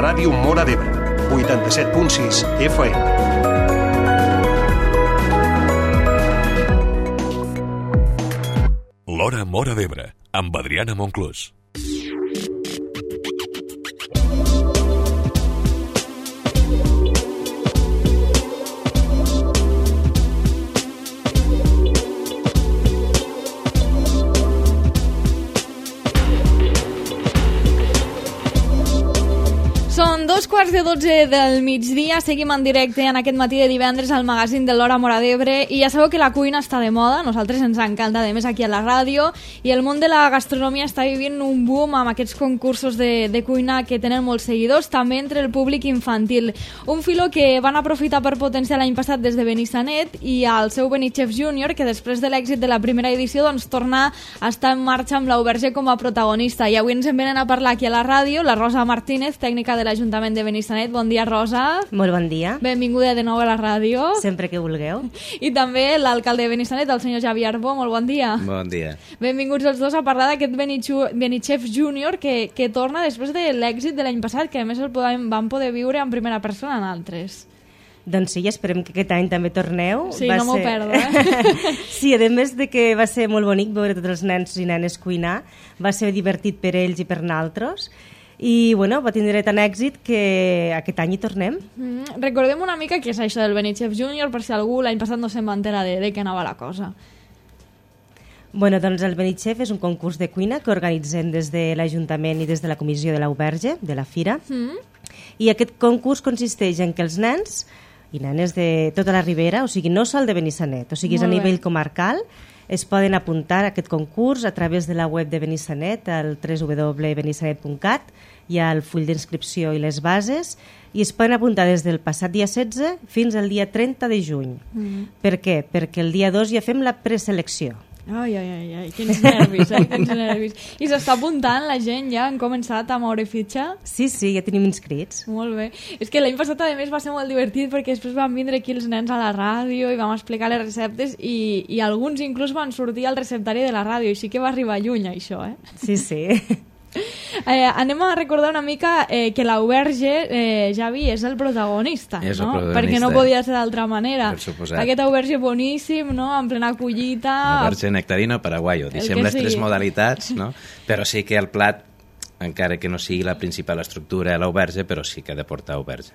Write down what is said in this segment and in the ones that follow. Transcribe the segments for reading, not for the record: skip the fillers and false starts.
Ràdio Móra d'Ebre, 87.6 FM. L'Hora Móra d'Ebre, amb Adriana Monclús. Són 2:45 del migdia, seguim en directe en aquest matí de divendres al magazín de l'Hora Móra d'Ebre i ja sabeu que la cuina està de moda, a nosaltres ens encanta, a més aquí a la ràdio, i el món de la gastronomia està vivint un boom amb aquests concursos de cuina que tenen molts seguidors, també entre el públic infantil. Un filó que van aprofitar per potenciar l'any passat des de Benissanet i al seu Benichef Júnior, que després de l'èxit de la primera edició doncs torna a estar en marxa amb l'Auberge com a protagonista. I avui ens en venen a parlar aquí a la ràdio la Rosa Martínez, tècnica de l'Ajuntament de Benissanet. Bon dia, Rosa. Molt bon dia. Benvinguda de nou a la ràdio. Sempre que vulgueu. I també l'alcalde de Benissanet, el senyor Xavi Arbó. Molt bon dia. Bon dia. Benvinguts els dos a parlar d'aquest Benichef Júnior que torna després de l'èxit de l'any passat, que a més el vam poder viure en primera persona en altres. Doncs sí, esperem que aquest any també torneu. Sí, no m'ho perdo, Sí, a més de que va ser molt bonic veure tots els nens i nenes cuinar, va ser divertit per ells i per nosaltres, i bueno, va tindre tant èxit que aquest any hi tornem. Recordem una mica què és això del Benichef Júnior, per si algú l'any passat no se'n va enterar de què anava la cosa. Bueno, doncs el Benichef és un concurs de cuina que organitzem des de l'Ajuntament i des de la Comissió de l'Auberge, de la Fira, i aquest concurs consisteix en que els nens i nenes de tota la Ribera, o sigui, no sol de Benissanet, o sigui, és a nivell comarcal, es poden apuntar a aquest concurs a través de la web de Benissanet, al www.benissanet.cat, hi ha el full d'inscripció i les bases, i es poden apuntar des del passat dia 16 fins al dia 30 de juny. Per què? Perquè el dia 2 ja fem la preselecció. Ai, quins nervis, quins nervis. I s'està apuntant la gent ja? Han començat a moure fitxa? Sí, ja tenim inscrits. Molt bé. És que l'any passat, a més, va ser molt divertit perquè després van vindre aquí els nens a la ràdio i vam explicar les receptes i alguns inclús van sortir al receptari de la ràdio, així que va arribar lluny, això, eh? Sí. Anem a recordar una mica que l'Auberge, Javi, és el protagonista, és no? El protagonista. Perquè no podia ser d'altra manera. Per suposat. Aquest Auberge boníssim, no? En plena collita. Auberge nectarino paraguayo. Deixem les tres modalitats, no? Però sí que el plat, encara que no sigui la principal estructura de l'auberge, però sí que ha de portar auberge.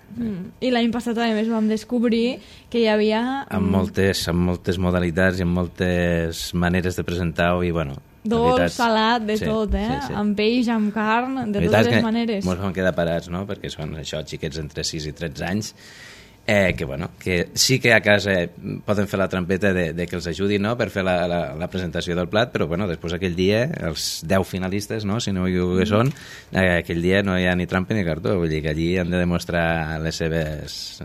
I l'any passat, a més, vam descobrir que hi havia... Amb moltes modalitats i amb moltes maneres de presentar-ho i, bueno... Dolç, salat, de tot, Sí. Amb peix, amb carn, de totes les maneres. Molts vam quedar parats, no?, perquè són això, xiquets entre 6 i 13 anys, que sí que a casa poden fer la trampeta de que els ajudi, no?, per fer la presentació del plat, però després aquell dia, els 10 finalistes, no?, si no que són, aquell dia no hi ha ni trampa ni cartó, vull dir que allí han de demostrar les seves...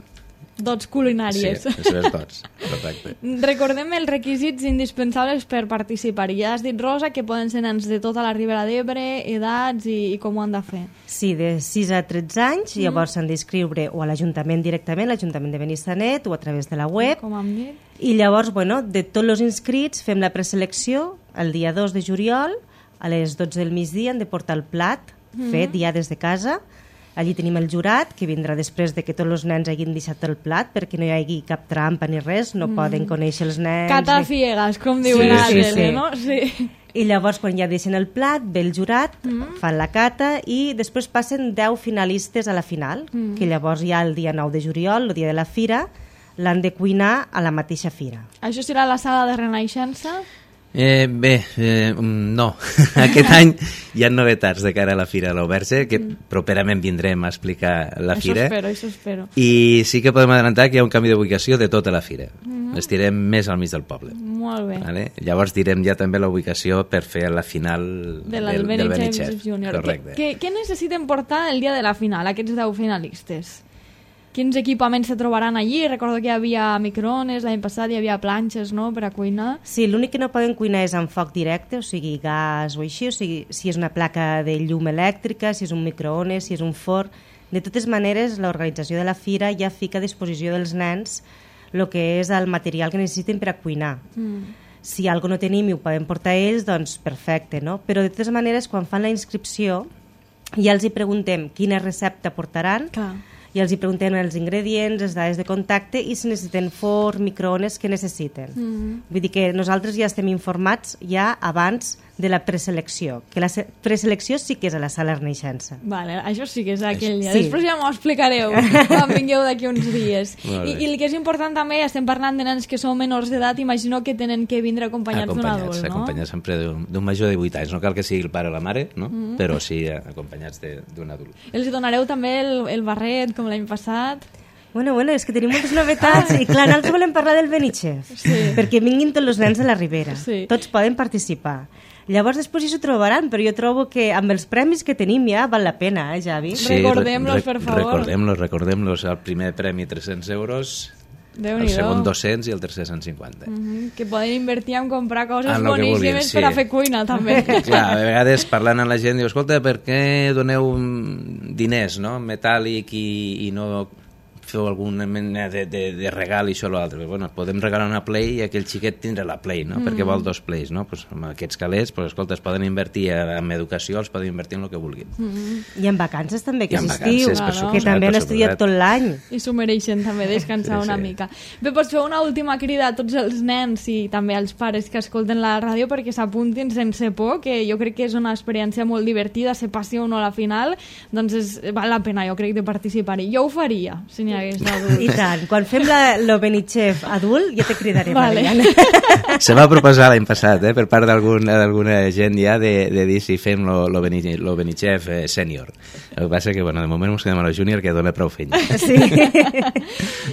dots culinàries. Sí, les seves dots, correcte. Recordem els requisits indispensables per participar. Ja has dit, Rosa, que poden ser nens de tota la Ribera d'Ebre, edats i com ho han de fer. Sí, de 6 a 13 anys, llavors s'han d'inscriure o a l'Ajuntament directament, l'Ajuntament de Benissanet, o a través de la web. Com hem dit. I llavors, de tots els inscrits fem la preselecció el dia 2 de juliol, a les 12 del migdia han de portar el plat fet ja des de casa. Allí tenim el jurat, que vindrà després de que tots els nens hagin deixat el plat, perquè no hi hagi cap trampa ni res, no poden conèixer els nens... Cata ciegas, com diuen a tele, no? Sí. I llavors, quan ja deixen el plat, ve el jurat, fan la cata i després passen 10 finalistes a la final, que llavors ja el dia 9 de juliol, el dia de la fira, l'han de cuinar a la mateixa fira. Això serà la sala de Renaixença? No. Aquest any hi ha novetats de cara a la Fira de l'Auberge, que properament vindrem a explicar la fira. Això espero. I sí que podem adelantar que hi ha un canvi d'ubicació de tota la fira. Estirem més al mig del poble. Molt bé. Vale? Llavors direm ja també la ubicació per fer la final del Benichef Júnior. Correcte. Què necessiten portar el dia de la final, aquests 10 finalistes? Quins equipaments se trobaran allí? Recordo que hi havia microones, l'any passat hi havia planxes, no?, per a cuinar. Sí, l'únic que no poden cuinar és amb foc directe, o sigui, gas o així, o sigui, si és una placa de llum elèctrica, si és un microones, si és un forn. De totes maneres, l'organització de la fira ja fica a disposició dels nens el que és el material que necessiten per a cuinar. Si algo no tenim i ho poden portar ells, doncs perfecte, no? Però de totes maneres, quan fan la inscripció, ja els hi preguntem quina recepta portaran, Clar. i els hi preguntem els ingredients, les dades de contacte i si necessiten forn, microones, què necessiten. Vull dir que nosaltres ja estem informats ja abans de la preselecció, que la preselecció sí que és a la sala Renaixença. Vale, això sí que és aquell dia. Sí. Després ja m'ho explicareu quan vingueu d'aquí uns dies. Molt bé. I el que és important també, estem parlant de nens que són menors d'edat, imagino que tenen que vindre acompanyats d'un adult, no? Acompanyats sempre d'un major de 8 anys. No cal que sigui el pare o la mare, no? Però sí acompanyats d'un adult. Els donareu també el barret, com l'any passat? Bueno, és que tenim moltes novetats i clar, nosaltres volem parlar del Benichef, perquè vinguin tots els nens de la Ribera, tots poden participar. Llavors després s'ho trobaran, però jo trobo que amb els premis que tenim ja val la pena, Javi? Sí, Recordem-los, per favor. Recordem-los. El primer premi 300 euros, el segon 200 i el tercer 150. Que poden invertir en comprar coses En lo que vulguin, boníssimes sí. per a fer cuina, també. Clar, a vegades parlant amb la gent diu, escolta, per què doneu diners, no?, metàl·lic i no feu alguna mena de regal i això o l'altre. Bueno, podem regalar una Play i aquell xiquet tindrà la Play, no? Perquè vol 2 Plays, no? Pues amb aquests calés, pues, escolta, es poden invertir en educació, els poden invertir en el que vulguin. I en vacances també, que I en és estiu, vacances, per que suposat, també han per estudiat suposat. tot l'any. I s'ho mereixen també, descansar una mica. Bé, pots fer una última crida a tots els nens i també als pares que escolten la ràdio perquè s'apuntin sense por, que jo crec que és una experiència molt divertida, se passi o no a la final, doncs val la pena, jo crec, de participar-hi. Jo ho faria, si n'hi hagués d'adults. I tant, quan fem lo Benichef adult ja te cridaré, Vale. Mariana. Se va proposar l'any passat, per part d'alguna gent ja, de dir si fem lo Benichef sènior. El que passa que, bueno, de moment ens quedem a lo júnior, que dona prou feina. Sí.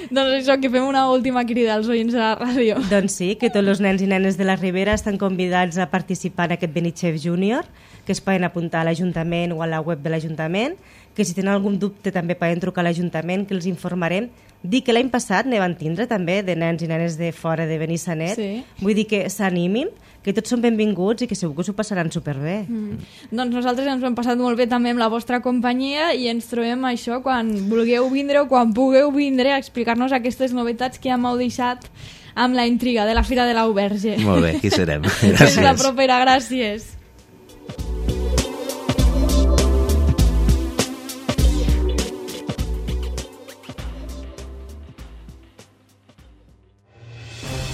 Doncs això, que fem una última crida als oients de la ràdio. Doncs sí, que tots els nens i nenes de la Ribera estan convidats a participar en aquest Benichef Júnior, que es poden apuntar a l'Ajuntament o a la web de l'Ajuntament, que si tenen algun dubte també poden trucar a l'Ajuntament, que els informarem. Dic que l'any passat ne van tindre també de nens i nenes de fora de Benissanet. Sí. Vull dir que s'animin, que tots són benvinguts i que segur que s'ho passaran superbé. Doncs nosaltres ens ho hem passat molt bé també amb la vostra companyia i ens trobem això quan vulgueu vindre o quan pugueu vindre a explicar-nos aquestes novetats que ja m'heu deixat amb la intriga de la Fira de l'Auberge. Molt bé, aquí serem. Fins la Gràcies. propera, gràcies.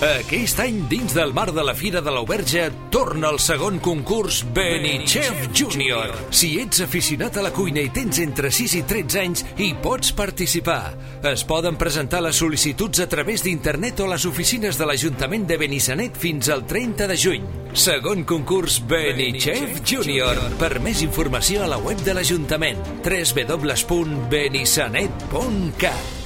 Aquest any, dins del mar de la Fira de l'Auberge, torna el segon concurs Benichef Júnior. Si ets aficionat a la cuina i tens entre 6 i 13 anys, hi pots participar. Es poden presentar les sol·licituds a través d'internet o a les oficines de l'Ajuntament de Benissanet fins al 30 de juny. Segon concurs Benichef Júnior. Per més informació a la web de l'Ajuntament, www.benissanet.cat.